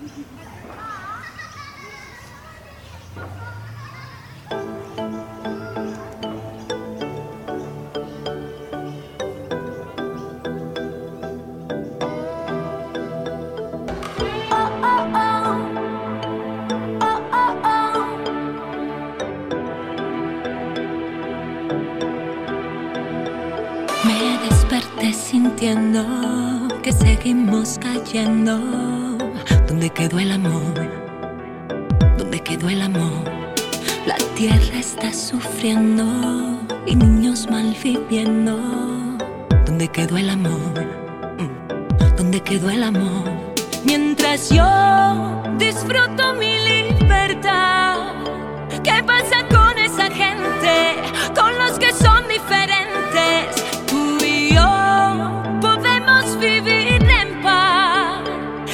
Me desperté sintiendo que seguimos cayendo. ¿Dónde quedó el amor? ¿Dónde quedó el amor? La tierra está sufriendo y niños malviviendo. ¿Dónde quedó el amor? ¿Dónde quedó el amor? Mientras yo disfruto mi libertad, ¿qué pasa con esa gente? Con los que son diferentes. Tú y yo podemos vivir en paz.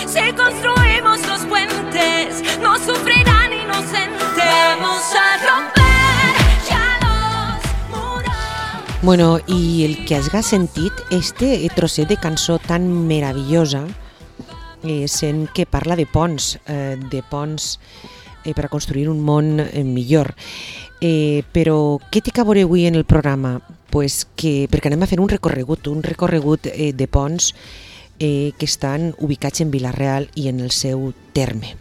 Si construimos los puentes, no sufrirán inocentes. Vamos a romper ja los muros. Bueno, i el que has sentit, este trosset de cançó tan meravellosa, sent que parla de ponts per a construir un món millor. Però què té que veure avui en el programa? Pues perquè anem a fer un recorregut de ponts que estan ubicats en Vila-real i en el seu terme.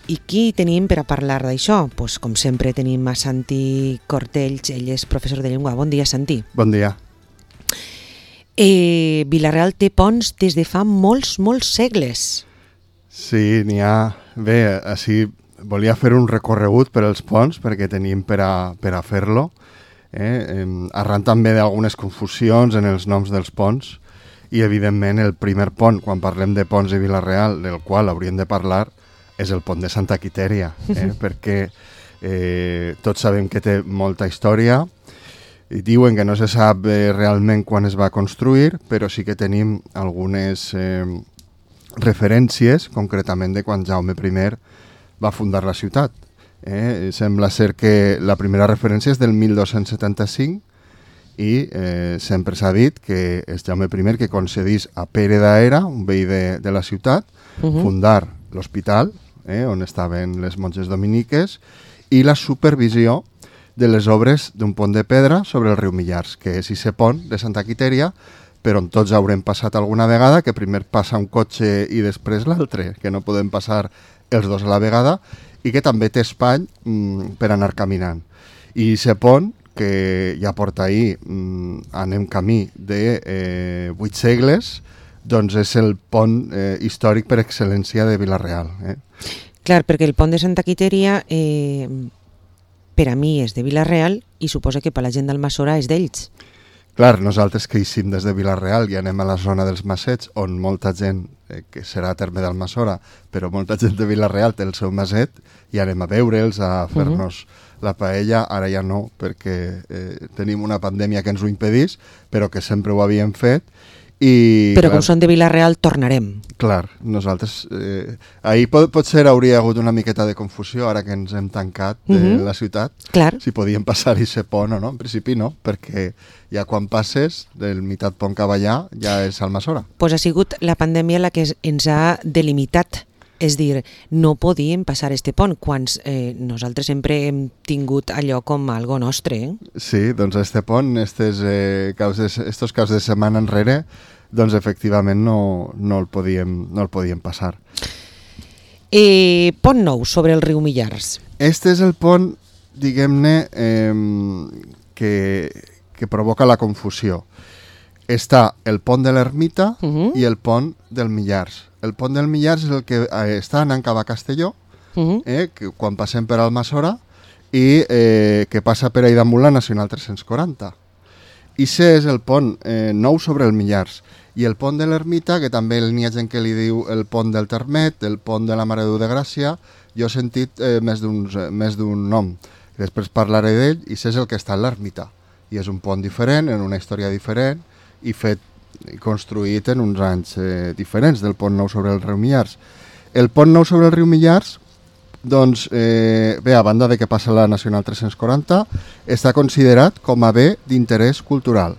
I qui tenim per a parlar d'això? Pues, com sempre tenim a Santi Cortells, ell és professor de llengua. Bon dia, Santi. Bon dia. Vila-real té ponts des de fa molts segles. Sí, n'hi ha. Bé, així volia fer un recorregut per als ponts perquè tenim per a fer-lo. Arran també d'algunes confusions en els noms dels ponts i, evidentment, el primer pont, quan parlem de ponts de Vila-real, del qual hauríem de parlar, és el pont de Santa Quitèria, perquè tots sabem que té molta història. I diuen que no se sap realment quan es va construir, però sí que tenim algunes referències, concretament de quan Jaume I va fundar la ciutat. Sembla ser que la primera referència és del 1275 i sempre s'ha dit que és Jaume I que concedís a Pere d'Aera, un veí de la ciutat, fundar l'hospital, on estaven les monges dominiques, i la supervisió de les obres d'un pont de pedra sobre el riu Millars, que és aquest pont de Santa Quitèria, per on tots haurem passat alguna vegada, que primer passa un cotxe i després l'altre, que no podem passar els dos a la vegada, i que també té espai per anar caminant. I aquest pont, que ja porta ahir, anem camí de 8 segles, doncs és el pont històric per excel·lència de Vila-real. Clar, perquè el pont de Santa Quitèria per a mi és de Vila-real i suposa que per la gent d'Almassora és d'ells. Clar, nosaltres que eixim des de Vila-real i anem a la zona dels Massets, on molta gent, que serà a terme d'Almassora, però molta gent de Vila-real té el seu maset, i anem a veure'ls, a fer-nos la paella. Ara ja no, perquè tenim una pandèmia que ens ho impedís, però que sempre ho havíem fet. Però com són de Vila-real tornarem. Clar, nosaltres ahir potser hauria hagut una miqueta de confusió ara que ens hem tancat de la ciutat, si podíem passar-hi ser pont o no. En principi no, perquè ja quan passes del meitat pont Cavallà ja és Almassora. Pues ha sigut la pandèmia la que ens ha delimitat. És dir, no podíem passar este pont quan nosaltres sempre hem tingut allò com algo nostre. Sí, doncs este pont, estos caps de setmana enrere, doncs efectivament no el podíem passar. Pont nou sobre el riu Millars. Este és el pont, diguem-ne, que provoca la confusió. Està el pont de l'Ermita i el pont del Millars. El pont del Millars és el que està anant cap a Castelló, que quan passem per Almassora, i que passa per ahí damunt la Nacional 340. I aquest és el pont nou sobre el Millars. I el pont de l'Ermita, que també n'hi ha gent que li diu el pont del Termet, el pont de la Mare de Déu de Gràcia, jo he sentit més d'un nom. Després parlaré d'ell, i aquest és el que està a l'Ermita. I és un pont diferent, en una història diferent, i construït en uns anys diferents del pont nou sobre el riu Millars. El pont nou sobre el riu Millars, doncs, bé, a banda de que passa la Nacional 340, està considerat com a bé d'interès cultural.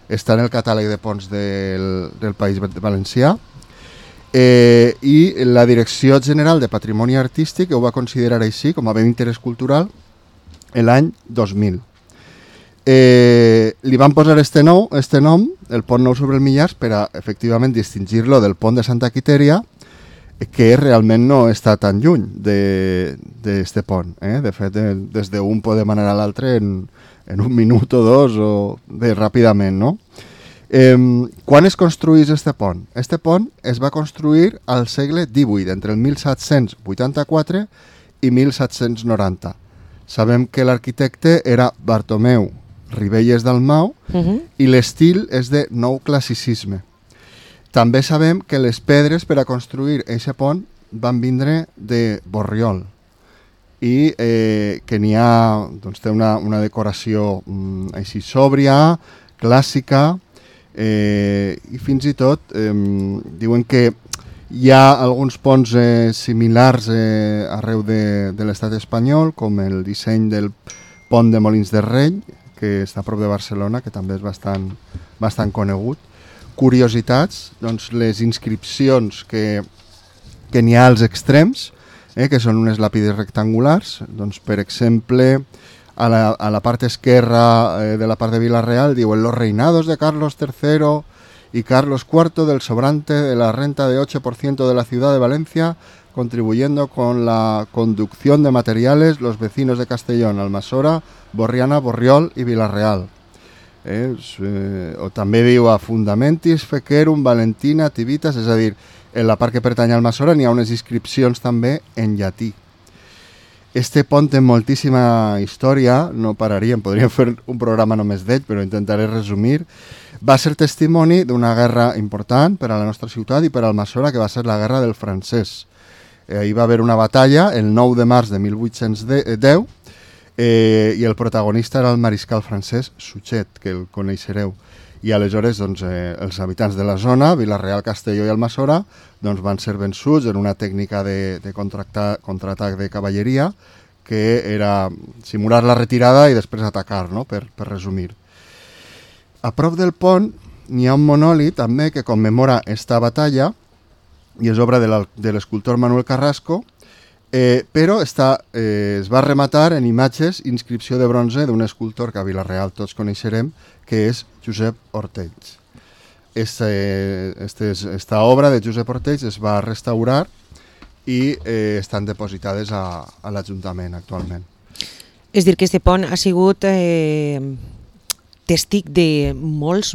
Està en el catàleg de ponts del País Valencià I la Direcció General de Patrimoni Artístic ho va considerar així com a bé d'interès cultural l'any 2000. Li van posar este nom, el pont nou sobre el Millars, per a efectivament distingir-lo del pont de Santa Quitèria, que realment no està tan lluny d'este pont. De fet, des d'un podem anar a l'altre en un minut o dos, o bé ràpidament, no? Quan es construís este pont? Este pont es va construir al segle XVIII, entre el 1784 i 1790. Sabem que l'arquitecte era Bartomeu Ribelles Dalmau i l'estil és de nou classicisme. També sabem que les pedres per a construir aquest pont van vindre de Borriol i que n'hi ha, doncs, té una decoració així sòbria, clàssica, i fins i tot diuen que hi ha alguns ponts similars arreu de l'estat espanyol, com el disseny del pont de Molins de Rei, que està a prop de Barcelona, que també és bastant conegut. Curiositats, doncs les inscripcions que n'hi ha als extrems, que són unes làpides rectangulars, doncs per exemple, a la part esquerra de la part de Vila-real diuen los reinados de Carlos III y Carlos IV del sobrante de la renta de 8% de la ciudad de Valencia, contribuyendo con la conducción de materiales los vecinos de Castellón, Almassora, Borriana, Borriol i Vila-real. O també diu a Fundamentis, Fequerum, Valentina, Tivitas, és a dir, en la part que pertany al Almassora n'hi ha unes inscripcions també en llatí. Este pont té moltíssima història, no pararíem, podríem fer un programa només d'ell, però intentaré resumir. Va ser testimoni d'una guerra important per a la nostra ciutat i per al Almassora, que va ser la Guerra del Francès. Ahir va haver una batalla el 9 de març de 1810, i el protagonista era el mariscal francès Suchet, que el coneixereu. I aleshores doncs, els habitants de la zona, Vila-real, Castelló i Almassora, doncs, van ser vençuts en una tècnica de contraatac de cavalleria, que era simular la retirada i després atacar, no? per resumir. A prop del pont n'hi ha un monòlit també que commemora esta batalla i és obra de l'escultor Manuel Carrasco, però es va rematar en imatges i inscripció de bronze d'un escultor que a Vila-real tots coneixerem, que és Josep Ortells. Esta obra de Josep Ortells es va restaurar i estan depositades a l'Ajuntament actualment. És dir, que este pont ha sigut testic de molts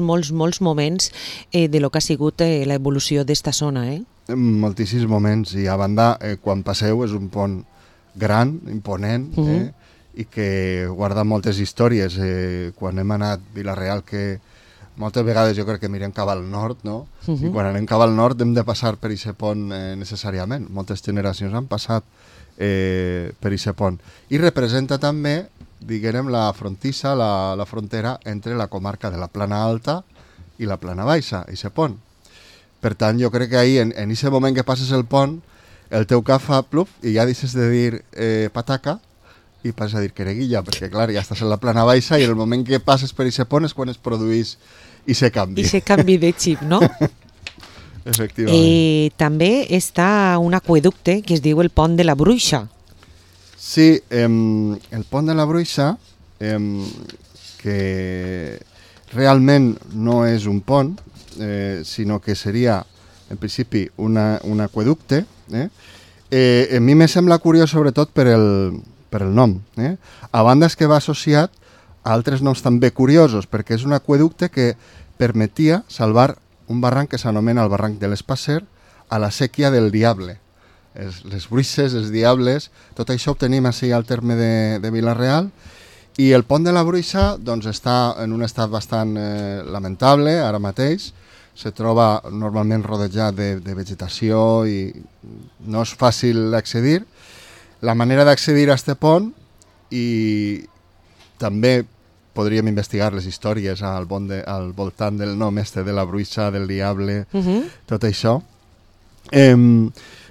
moments de lo que ha sigut l'evolució d'esta zona, Moltíssims moments, i a banda, quan passeu, és un pont gran, imponent, i que guarda moltes històries. Quan hem anat a Vila-real, que moltes vegades jo crec que mirem cap al nord, no? I quan anem cap al nord hem de passar per aquest pont necessàriament. Moltes generacions han passat per aquest pont. I representa també, diguem, la frontissa, la frontera entre la comarca de la Plana Alta i la Plana Baixa, aquest pont. Per tant, jo crec que ahir, en aquest moment que passes el pont, el teu cap fa pluf i ja deixes de dir pataca i passes a dir quereguilla, perquè clar, ja estàs en la Plana Baixa i en el moment que passes per aquest pont és quan es produís aquest canvi. Aquest canvi de xip, no? Efectivament. També està un aqüeducte que es diu el Pont de la Bruixa. Sí, el Pont de la Bruixa, que realment no és un pont, sinó que seria, en principi, un aqüeducte. A mi me sembla curiós, sobretot, per el nom. A banda és que va associat a altres noms també curiosos, perquè és un aqüeducte que permetia salvar un barranc que s'anomena el barranc de l'Espasser a la sèquia del Diable. Les bruixes, els diables, tot això ho tenim així al terme de Vila-real. I el pont de la Bruixa doncs, està en un estat bastant lamentable ara mateix. Se troba normalment rodejat de vegetació i no és fàcil d'accedir. La manera d'accedir a aquest pont, i també podríem investigar les històries al voltant del nom de la Bruixa, del Diable, tot això,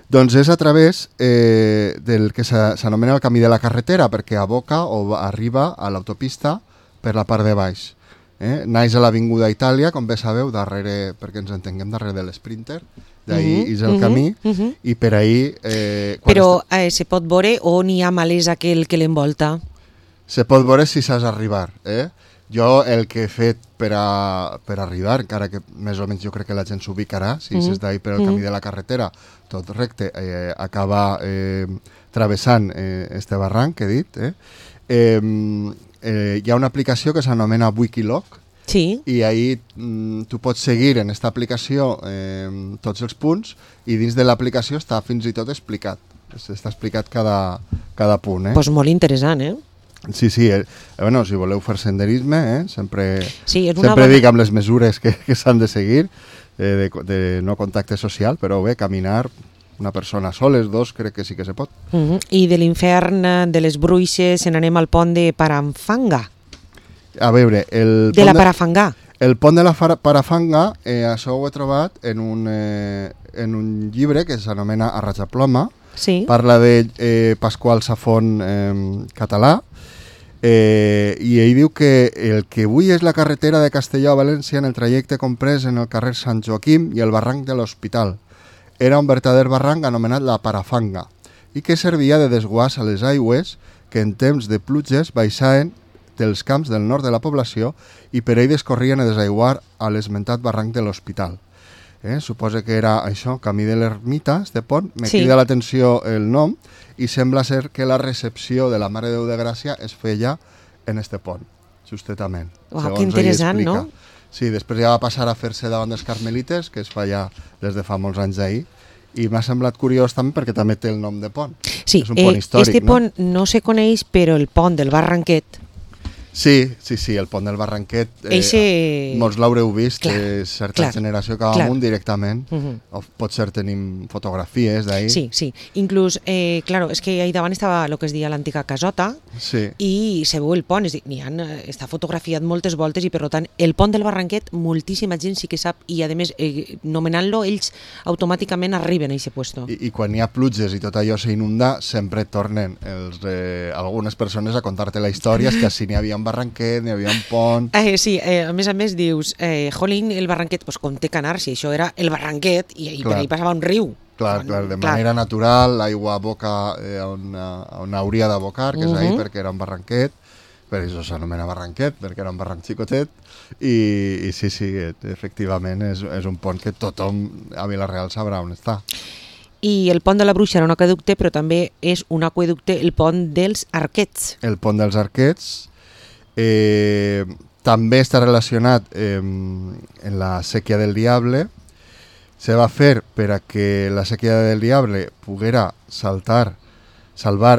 doncs és a través del que s'anomena el camí de la carretera, perquè aboca o arriba a l'autopista per la part de baix. Naix a l'Avinguda Itàlia, com bé sabeu, darrere, perquè ens entenguem, darrere de l'Sprinter, d'ahir és el camí, i per ahir... Però se pot veure on hi ha malesa aquell que l'envolta? Se pot veure si saps arribar, Jo el que he fet per arribar, encara que més o menys jo crec que la gent s'ubicarà, si és d'ahir per el camí de la carretera, tot recte, acaba travessant este barranc que he dit, hi ha una aplicació que s'anomena Wikiloc, Sí. i ahir tu pots seguir en aquesta aplicació tots els punts, i dins de l'aplicació està fins i tot explicat. Està explicat cada punt. Pues molt interessant, Sí, bueno, si voleu fer senderisme, sempre bona... dic amb les mesures que s'han de seguir, de no contacte social, però bé, caminar una persona soles, dos, crec que sí que se pot. I de l'infern de les Bruixes se n'anem al pont de Parafanga. A veure, Parafangà. El pont de la Parafanga, això ho he trobat en un llibre que s'anomena A Rajaploma. Sí. Parla de Pasqual Safont català, i ell diu que el que avui és la carretera de Castelló a València en el trajecte comprès en el carrer Sant Joaquim i el barranc de l'Hospital. Era un verdader barranc anomenat la Parafanga i que servia de desguàs a les aigües que en temps de pluges baixaven dels camps del nord de la població i per ell descorrien a desaiguar a l'esmentat barranc de l'Hospital. Suposa que era això, camí de l'Ermita, este pont. Me crida l'atenció el nom i sembla ser que la recepció de la Mare de Déu de Gràcia es feia en este pont, justament. Uau, que interessant, no? Sí, després ja va passar a fer-se davant dels Carmelites, que es fa ja des de fa molts anys d'ahir, i m'ha semblat curiós també perquè també té el nom de pont. Sí, és un pont històric, este pont no se coneix, però el pont del Barranquet... Sí, el pont del Barranquet, molts l'haureu vist, certa generació que va amunt directament, o potser tenim fotografies d'ahir. Sí, inclús, és que ahí davant estava el que es deia l'antiga casota, i se veu el pont, està fotografiat moltes voltes, i per tant, el pont del Barranquet, moltíssima gent sí que sap, i a més, nomenant-lo, ells automàticament arriben a aquest puesto. I quan hi ha pluges i tot allò s'inunda, sempre tornen algunes persones a contar-te la història, és que si n'hi havia un barranquet, n'hi havia un pont... a més dius, jolín, el barranquet, doncs com té que anar, si això era el barranquet i per ahí passava un riu. Clar, de manera natural, l'aigua boca on hauria d'abocar, que és ahí perquè era un barranquet, per això s'anomena barranquet, perquè era un barranc xicotet, i sí, efectivament és un pont que tothom a Vila-real sabrà on està. I el pont de la Bruixa era un aqüeducte, però també és un aqüeducte, el pont dels Arquets. El pont dels Arquets també està relacionat en la Sèquia del Diable. Se va fer per a que la Sèquia del Diable poguera salvar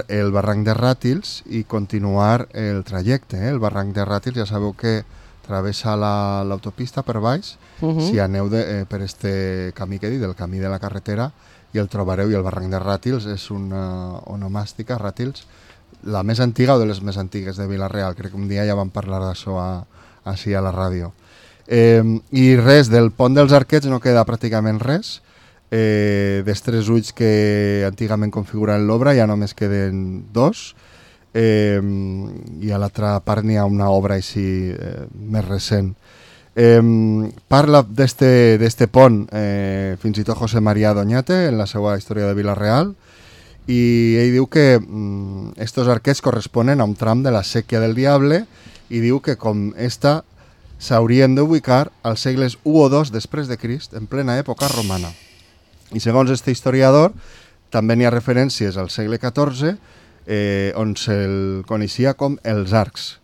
el barranc de Ràtils i continuar el trajecte. El barranc de Ràtils ja sabeu que travessa l'autopista per baix. Si aneu per este camí que he dit, el camí de la carretera, i el trobareu, i el barranc de Ràtils és una onomàstica, Ràtils, la més antiga o de les més antigues de Vila-real. Crec que un dia ja vam parlar d'això així a la ràdio. I res, del pont dels Arquets no queda pràcticament res. Dels 3 ulls que antigament configuraven l'obra ja només queden 2, i a l'altra part n'hi ha una obra així més recent. Parla d'este pont fins i tot José María Doñate en la seva història de Vila-real, i ell diu que estos arquets corresponen a un tram de la Sèquia del Diable, i diu que com esta s'haurien d'ubicar als segles 1 o 2 després de Crist, en plena època romana. I segons este historiador, també n'hi ha referències al segle XIV, on se'l coneixia com els arcs.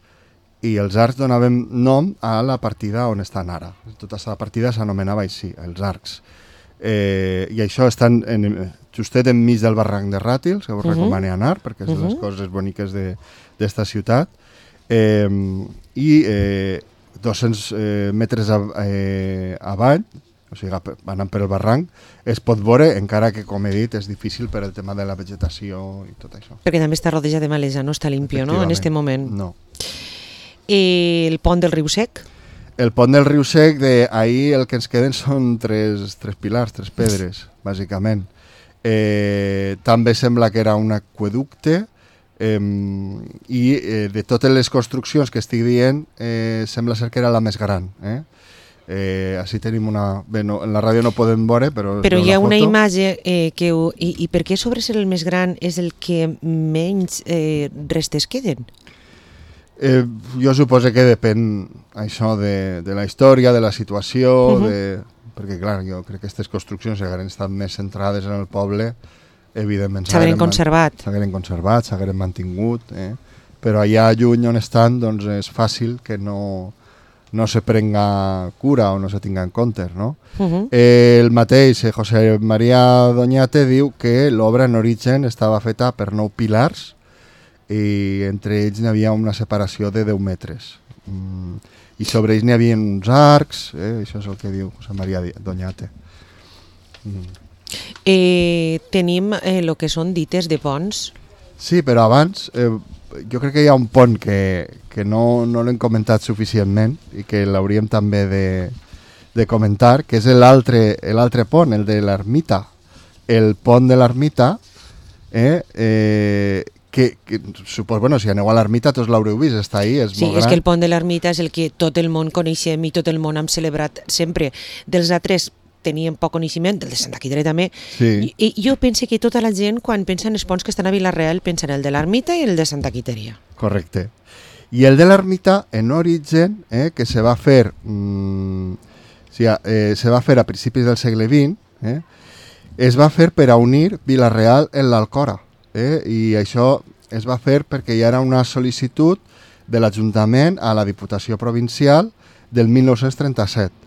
I els arcs donaven nom a la partida on estan ara. Tota aquesta partida s'anomenava així, els arcs. I això estan justet enmig del barranc de Ràtils, que us recomano anar, perquè és de les coses boniques d'esta ciutat. I 200 metres avall, o sigui, anant per el barranc, es pot veure, encara que, com he dit, és difícil per el tema de la vegetació i tot això. Perquè també està rodejat de malesa, no està limpio, no?, en aquest moment. No. El pont del Riu Sec? El pont del Riu Sec, ahir el que ens queden són 3 pilars, 3 pedres, bàsicament. També sembla que era un aqüeducte, i de totes les construccions que estic dient, sembla ser que era la més gran. Així tenim una... Bé, no, en la ràdio no podem veure, però hi ha una foto. imatge que... I per què sobre ser el més gran és el que menys restes queden? Jo suposo que depèn això de la història, de la situació, perquè clar, jo crec que aquestes construccions hagueren estat més centrades en el poble, evidentment s'hagueren conservat, s'hagueren mantingut, però allà lluny on estan doncs és fàcil que no se prenga cura o no se tinga en compte, no? El mateix José María Doñate diu que l'obra en origen estava feta per 9 pilars i entre ells n'hi havia una separació de 10 metres. I sobre ells n'hi havia uns arcs, això és el que diu José María Doñate. Tenim el que són dites de ponts. Sí, però abans jo crec que hi ha un pont que no l'hem comentat suficientment i que l'hauríem també de comentar, que és l'altre pont, el de l'Ermita. El pont de l'Ermita, que suposo, bueno, si aneu a l'Ermita tots l'haureu vist, està ahí, és molt gran. Sí, és que el pont de l'Ermita és el que tot el món coneixem i tot el món hem celebrat sempre. Dels altres teníem poc coneixement, el de Santa Quitèria també. Sí. I jo penso que tota la gent, quan pensa en els ponts que estan a Vila-real, pensa en el de l'Ermita i el de Santa Quitèria. Correcte. I el de l'Ermita, en origen, que se va fer a principis del segle XX, es va fer per a unir Vila-real en l'Alcora. I això es va fer perquè hi era una sol·licitud de l'Ajuntament a la Diputació Provincial del 1937.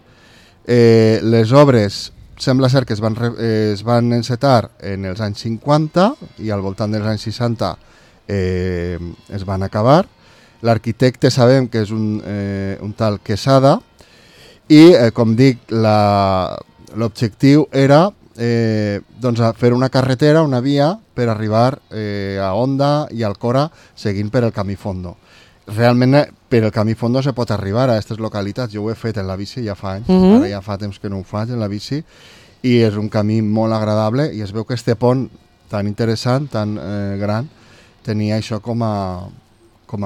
Les obres sembla ser que es van encetar en els anys 50 i al voltant dels anys 60 es van acabar. L'arquitecte sabem que és un tal Quesada i, com dic, l'objectiu era doncs fer una carretera, una via per arribar a Onda i Alcora seguint per el Camí Fondo. Realment per el Camí Fondo se pot arribar a aquestes localitats. Jo ho he fet en la bici ja fa anys, ara ja fa temps que no ho faig en la bici, i és un camí molt agradable i es veu que este pont tan interessant, tan gran, tenia això com a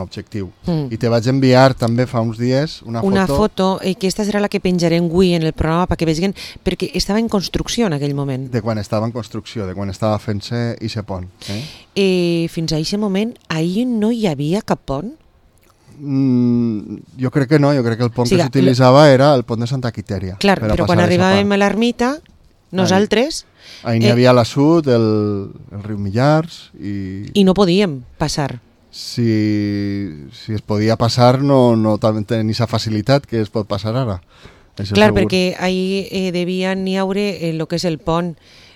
objectiu. I te vaig enviar també fa uns dies una foto, que aquesta serà la que penjarem avui en el programa perquè vegin, perquè estava en construcció en aquell moment. De quan estava en construcció, de quan estava fent-se aquest pont. Fins a aquest moment, ahir no hi havia cap pont? Jo crec que no, jo crec que el pont que s'utilitzava era el pont de Santa Quitèria. Clar, però quan arribàvem a l'ermita, nosaltres... Ahí n'hi havia l'assut, el riu Millars i no podíem passar. Si es podia passar no tenia aquesta facilitat que es pot passar ara. Clar, perquè ahir devien hi haure el que és el pont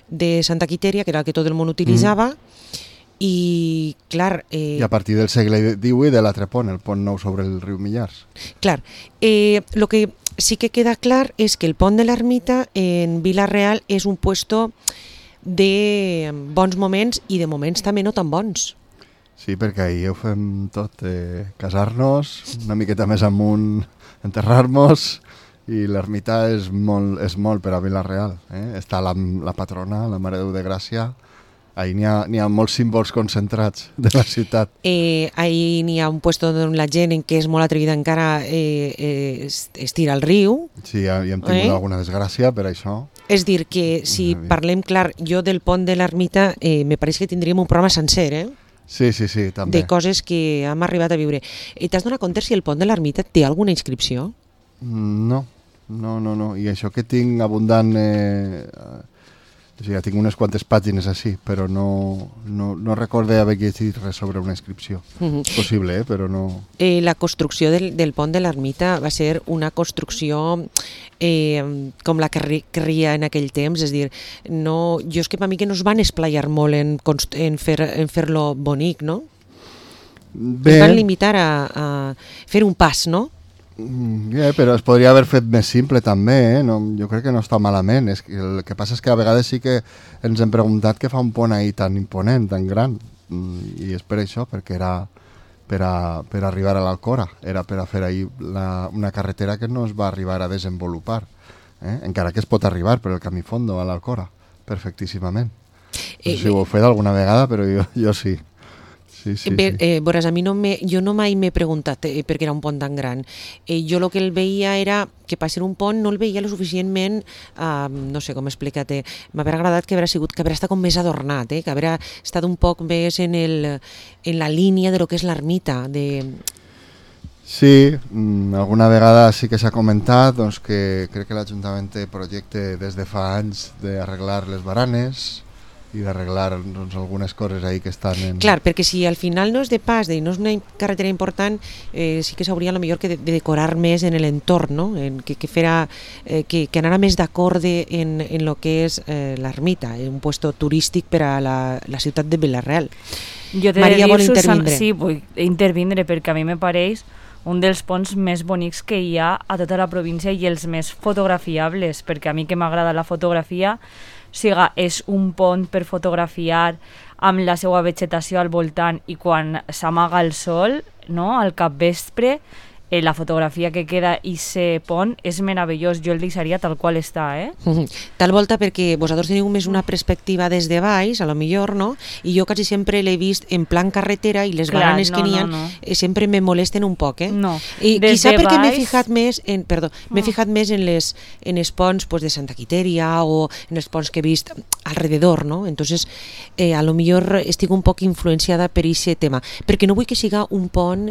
de Santa Quitèria, que era el que tot el món utilitzava, i clar... I a partir del segle XVIII de l'altre pont, el pont nou sobre el riu Millars. Clar, el que sí que queda clar és que el pont de l'Ermita en Vila-real és un puesto de bons moments i de moments també no tan bons. Sí, perquè ahir ho fem tot, casar-nos, una miqueta més amunt, enterrar-nos, i l'ermita és molt per a Vila-real. Està la patrona, la Mare de Déu de Gràcia. Ahí n'hi ha molts símbols concentrats de la ciutat. Ahí n'hi ha un puesto on la gent en què és molt atrevida encara es tira al riu. Sí, ja hem tingut alguna desgràcia per això. És dir, que si parlem clar, jo del pont de l'ermita me pareix que tindríem un programa sencer, Sí, també. De coses que hem arribat a viure. T'has donat compte si el pont de l'ermita té alguna inscripció? No. I això que tinc abundant... O sigui, tinc unes quantes pàgines així, però no recorde haver llegit res sobre una inscripció. És possible, però no... La construcció del pont de l'ermita va ser una construcció com la que ria en aquell temps, és dir, jo és que per mi que no es van esplaiar molt en fer-lo bonic, no? Es van limitar a fer un pas, no? Però es podria haver fet més simple també, jo crec que no està malament. El que passa és que a vegades sí que ens hem preguntat què fa un pont ahí tan imponent, tan gran, i és per això, perquè era per arribar a l'Alcora, era per a fer ahí una carretera que no es va arribar a desenvolupar, encara que es pot arribar per el Camí Fondo a l'Alcora, perfectíssimament. No sé si ho heu fet alguna vegada, però jo sí. Sí. Veuràs, a mi jo no mai m'he preguntat per què era un pont tan gran. Jo el que el veia era que per ser un pont no el veia lo suficientment, no sé com explicar-te, m'haurà agradat que haurà estat com més adornat, que haurà estat un poc més en la línia de lo que és l'ermita. Sí, alguna vegada sí que s'ha comentat doncs, que crec que l'Ajuntament té projecte des de fa anys d'arreglar les baranes i d'arreglar doncs, algunes coses ahí que estan en... Clar, perquè si al final no és de pas i no és una carretera important, sí que s'hauria millor que de decorar més en l'entorn, no? Que anara més d'acord en lo que és l'ermita, un puesto turístic per a la ciutat de Vila-real. Jo t'he Maria, de dir, vol intervindre? Sí, vull intervindre perquè a mi me pareix un dels ponts més bonics que hi ha a tota la província i els més fotografiables, perquè a mi que m'agrada la fotografia, és un pont per fotografiar amb la seva vegetació al voltant i quan s'amaga el sol, no?, al capvespre, la fotografia que queda i se pont és meravellós. Jo el deixaria tal qual està, Tal volta perquè vosaltres teniu més una perspectiva des de baix, a lo millor, no? I jo quasi sempre l'he vist en plan carretera i les baranes que n'hi ha sempre me molesten un poc, No. I quizà perquè m'he fijat més en els ponts de Santa Quitèria o en els ponts que he vist alrededor, no? Entonces, a lo millor estic un poc influenciada per aquest tema, perquè no vull que siga un pont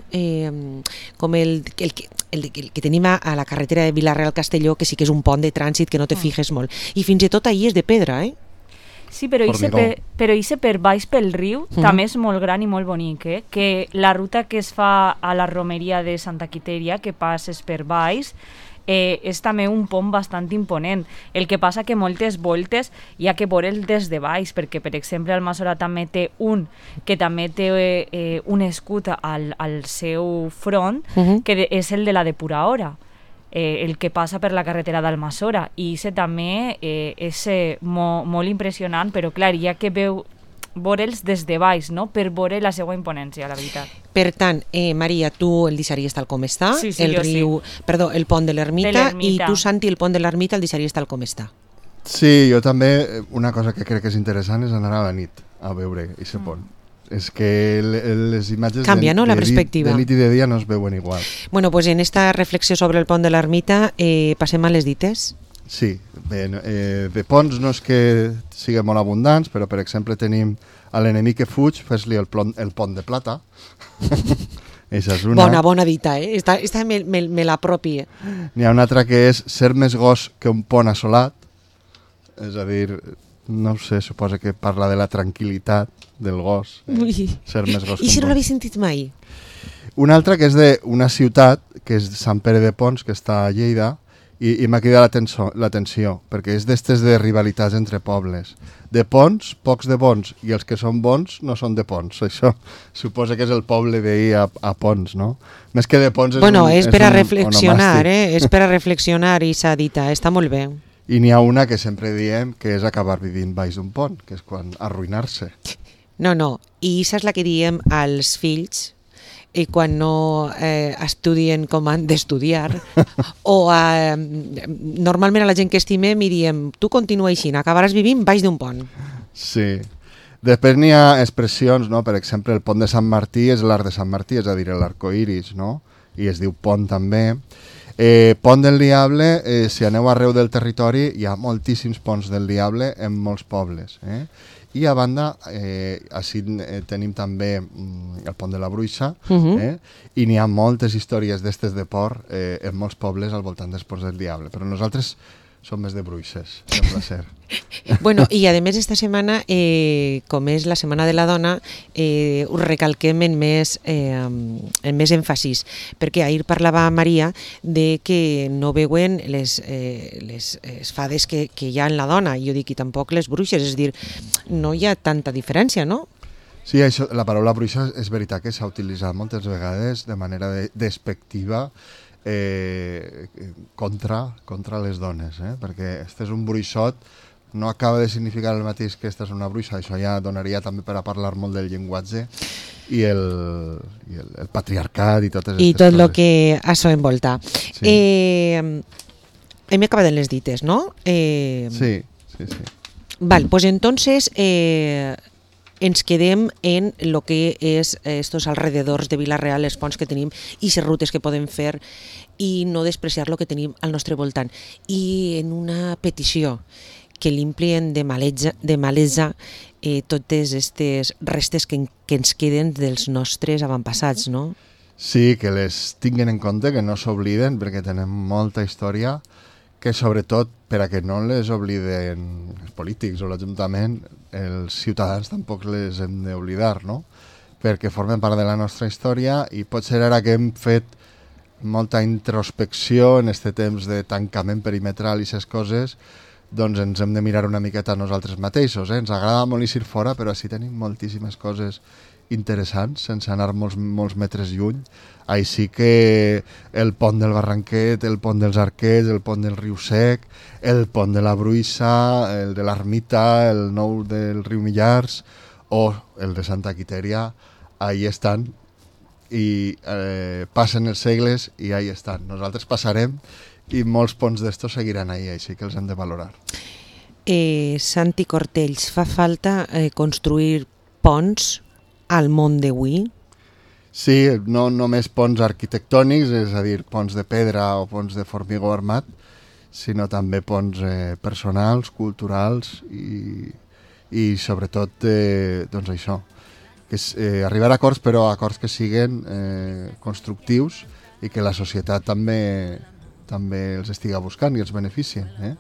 com el que tenim a la carretera de Vila-real-Castelló, que sí que és un pont de trànsit que no te fijes molt. I fins i tot ahir és de pedra, Sí, però ixe per baix pel riu també és molt gran i molt bonic, que la ruta que es fa a la romeria de Santa Quitèria, que passes per baix, és també un pont bastant imponent. El que passa que moltes voltes hi ha que veure'l des de baix, perquè, per exemple, Almassora també té que també té un escut al seu front, que és el de la depuradora, el que passa per la carretera d'Almassora, i també és molt impressionant, però clar, hi ha que veure'ls des de baix, no?, per veure la seva imponència, la veritat. Per tant, Maria, tu el deixaries tal com està, el pont de l'Ermita, i tu, Santi, el pont de l'Ermita el deixaries tal com està. Sí, jo també, una cosa que crec que és interessant és anar a la nit a veure aquest pont. És que les imatges canvia, no?, la perspectiva. De nit i de dia no es veuen igual. Bueno, pues en esta reflexió sobre el pont de l'Ermita passem a les dites. Sí, bé, de ponts no és que siguin molt abundants, però per exemple tenim a l'enemic que fuig, fes-li el pont de plata. Eixa és una. Bona dita, Esta me l'apropi. N'hi ha una altra que és ser més gos que un pont assolat, és a dir, no sé, suposa que parla de la tranquil·litat del gos. Ser més gos que un pont. I si no l'havia sentit mai? Una altra que és d'una ciutat, que és Sant Pere de Pons, que està a Lleida, i m'ha cridat l'atenció, perquè és d'estes de rivalitats entre pobles. De Pons, pocs de bons, i els que són bons no són de Pons. Això suposa que és el poble veí a Pons, no? Més que de Pons és per a reflexionar, és per a reflexionar, i s'ha dit, està molt bé. I n'hi ha una que sempre diem que és acabar vivint baix d'un pont, que és quan arruïnar-se. No, i això és la que diem als fills, i quan no estudien com han d'estudiar, o normalment a la gent que estimem i diem, tu continua així, acabaràs vivint baix d'un pont. Sí. Després n'hi ha expressions, no? Per exemple, el pont de Sant Martí és l'arc de Sant Martí, és a dir, l'arcoiris, no? I es diu pont també. Pont del Diable, si aneu arreu del territori, hi ha moltíssims ponts del Diable en molts pobles, I a banda, així tenim també el pont de la Bruixa, i n'hi ha moltes històries d'estes de port en molts pobles al voltant dels ponts del Diable, però nosaltres som més de bruixes, sembla ser. Bueno, i a més esta setmana, com és la Setmana de la Dona, ho recalquem en més èmfasis, perquè ahir parlava Maria de que no veuen les fades que hi ha en la dona, i jo dic, i tampoc les bruixes, és a dir, no hi ha tanta diferència, no? Sí, això, la paraula bruixa és veritat que s'ha utilitzat moltes vegades de manera despectiva contra les dones, perquè este és un bruixot, no acaba de significar el mateix que esta és una bruixa, això ja donaria també per a parlar molt del llenguatge i el patriarcat i totes aquestes coses. I tot el que això envolta. Sí. Hem acabat en les dites, no? Sí. Val, pues entonces ens quedem en el que és estos alrededors de Vila-real, els ponts que tenim i les rutes que podem fer i no despreciar el que tenim al nostre voltant. I en una petició, que l'implien de malesa totes aquestes restes que ens queden dels nostres avantpassats, no? Sí, que les tinguin en compte, que no s'obliden, perquè tenen molta història, que sobretot, per a que no les obliden els polítics o l'Ajuntament, els ciutadans tampoc les hem d'oblidar, no? Perquè formen part de la nostra història i potser ara que hem fet molta introspecció en aquest temps de tancament perimetral i aquestes coses, doncs ens hem de mirar una miqueta a nosaltres mateixos. Ens agrada molt eixir fora, però així tenim moltíssimes coses interessants, sense anar molts metres lluny. Així que el pont del Barranquet, el pont dels Arquets, el pont del Riu Sec, el pont de la Bruixa, el de l'Ermita, el nou del Riu Millars o el de Santa Quitèria, ahí estan i passen els segles i ahí estan. Nosaltres passarem i molts ponts d'estos seguiran ahí, així que els hem de valorar. Santi Cortells, fa falta construir ponts al món d'avui? Sí, no només ponts arquitectònics, és a dir, ponts de pedra o ponts de formigó armat, sinó també ponts personals, culturals i sobretot, doncs això, que arribar a acords, però acords que siguen constructius i que la societat també els estiga buscant i els beneficien.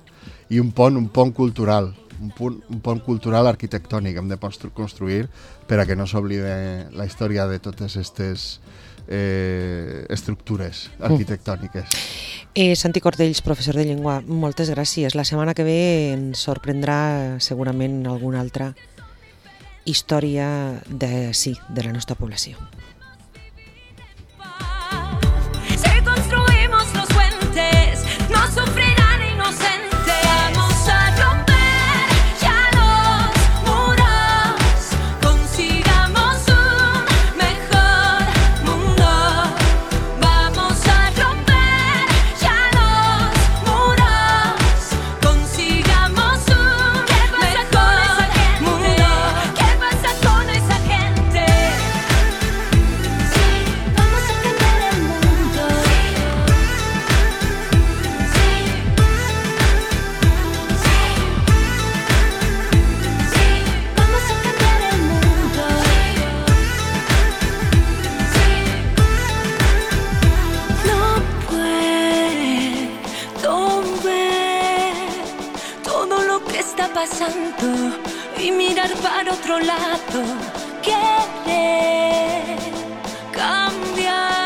I un pont cultural, un pont cultural arquitectònic hem de construir per a que no s'oblide la història de totes aquestes estructures arquitectòniques. Santi Cortells, professor de llengua, moltes gràcies. La setmana que ve ens sorprendrà segurament alguna altra història de la nostra població. Y mirar para otro lado, querer cambiar.